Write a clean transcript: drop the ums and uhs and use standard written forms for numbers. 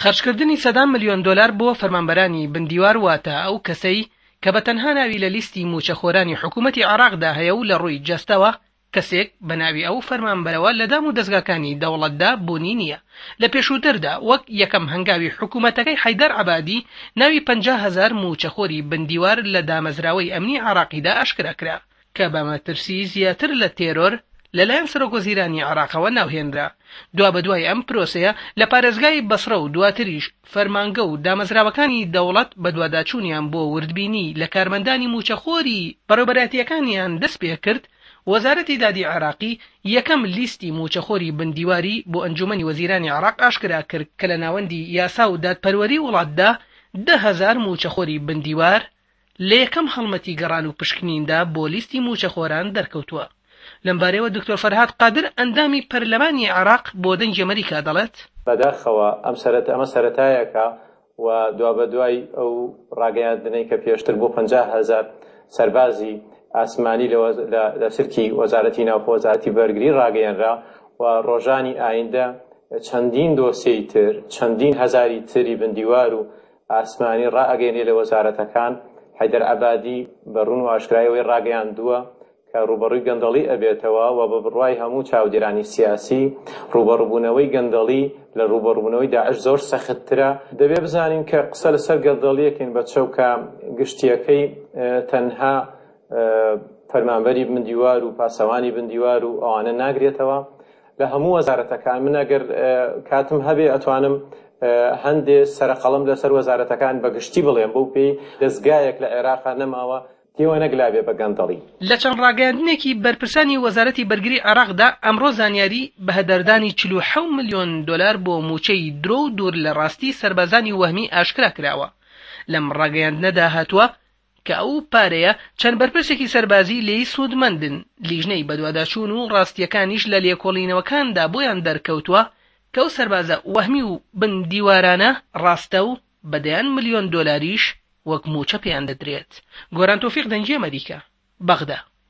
خەرجکردنی سەدان ملیۆن دۆلار بۆ فەرمانبەرانی بن دیوار واتە ئەو کەسەی کە بە تەنها ناوی لە لیستی مووچەخۆرانی حکوومەتی عێراقدا هەیە و لە ڕووی جەستەوە کەسێک بە ناوی ئەو فەرمانبەرەوە لە دام و دەزگاکانی دەوڵەتدا بوونی نییە. لە پێشووتردا وەک یەکەم هەنگاوی حکوومەتەکەی حەیدەر عەبادی ناوی 50,000 مووچەخۆری بن دیوار لە دامەزراوەی ئەمنی عێراقیدا ئاشکرا کرا. کە بە مەترسی زیاتر لە تێرۆر لەلایەن سەرۆکوەزیرانی عێراقەوە ناوهێنرا. دوابەدوای ئەم پرۆسەیە لە پارێزگای بەسڕە و دواتریش فەرمانگە و دامەزراوەکانی دەوڵەت بەدواداچوونیان بۆ وردبینی لە کارمەندانی مووچەخۆری بەڕێوبەرایەتییەکانیان دەستپێکرد، وەزارەتی دادی عێراقی یەکەم لیستی مووچەخۆری بن دیواری بۆ ئەنجوومەنی وەزیرانی عێراق ئاشکرا کرد کە لە ناوەندی یاسا و دادپەروەری وڵاتدا 10,000 مووچەخۆری بن دیوار لە یەکەم هەڵمەتی گەڕان و پشکنیندا بۆ لیستی مووچەخۆران دەرکەوتووە. لەمبارەیەوە دکتۆر فەرهاد قادر ئەندامی پەرلەمانی عێراق بۆ دەنگی ئەمەریکا دەڵێت، بەداخەوە ئەم سەرەتا ئەمە سەرەتایەکە و دوابەدوای ئەو ڕاگەیاندنەی کە پێشتر بۆ 50,000 سەربازی ئاسمانی لە سلکی وەزارەتی ناوخۆ وەزارەتی بەرگری ڕاگەیەنرا و ڕۆژانی ئایندە چەندین دۆسیەی تر چەندین هەزاری تری بندیوار و ئاسمانی ڕائەگەیەنێ لە وەزارەتەکان، حەیدەر عەبادی بە ڕوون و ئاشکرایی ئەوەی ڕاگەیاندووە کە ڕووبەڕووی گەندەڵی ئەبێتەوە و بە بڕوای هەموو چاودێرانی سیاسی ڕووبەڕووبوونەوەی گەندەڵی لە ڕووبەڕووبوونەوەی داعش زۆر سەختترە. دەبێ بزانین کە قسە لەسەر گەندەڵیەکەین بە چەو کە گشتیەکەی تەنها فەرمانبەری بن دیوار و پاسەوانی بن دیوار و ئەوانە ناگرێتەوە، لە هەموو وەزارەتەکان من ئەگەر کاتم هەبێ ئەتوانم هەندێ سەرەقەڵم لەسەر وەزارەتەکان بە گشتی بڵێم بەو پێی دەزگایەک لە عێراقا نەماوە تێوە نەگلابێ بە گەندەڵی. لە چەند ڕاگەیاندنێکی بەرپرسانی وەزارەتی بەرگری عێراقدا ئەمڕۆ زانیاری بەهەدەردانی 47 ملیۆن دۆلار بۆ مووچەی درۆ و دوور لە ڕاستی سەربازانی وەهمی ئاشکرا کراوە. لەم ڕاگەیاندنەدا هاتووە، کە ئەو پارەیە چەند بەرپرسێکی سەربازی لێی سوودمەندن، لیژنەی بەدواداچوون و ڕاستییەکانیش لە لێکۆڵینەوەکاندا بۆیان دەرکەوتووە کە ئەو سەربازە وەهمی و بن دیوارانە ڕاستە و بە دەیان ملیۆن دۆلاریش وەک مووچە پێیان دەدرێت. گۆران تۆفیق دەنگی ئەمەریکا، بەغدا.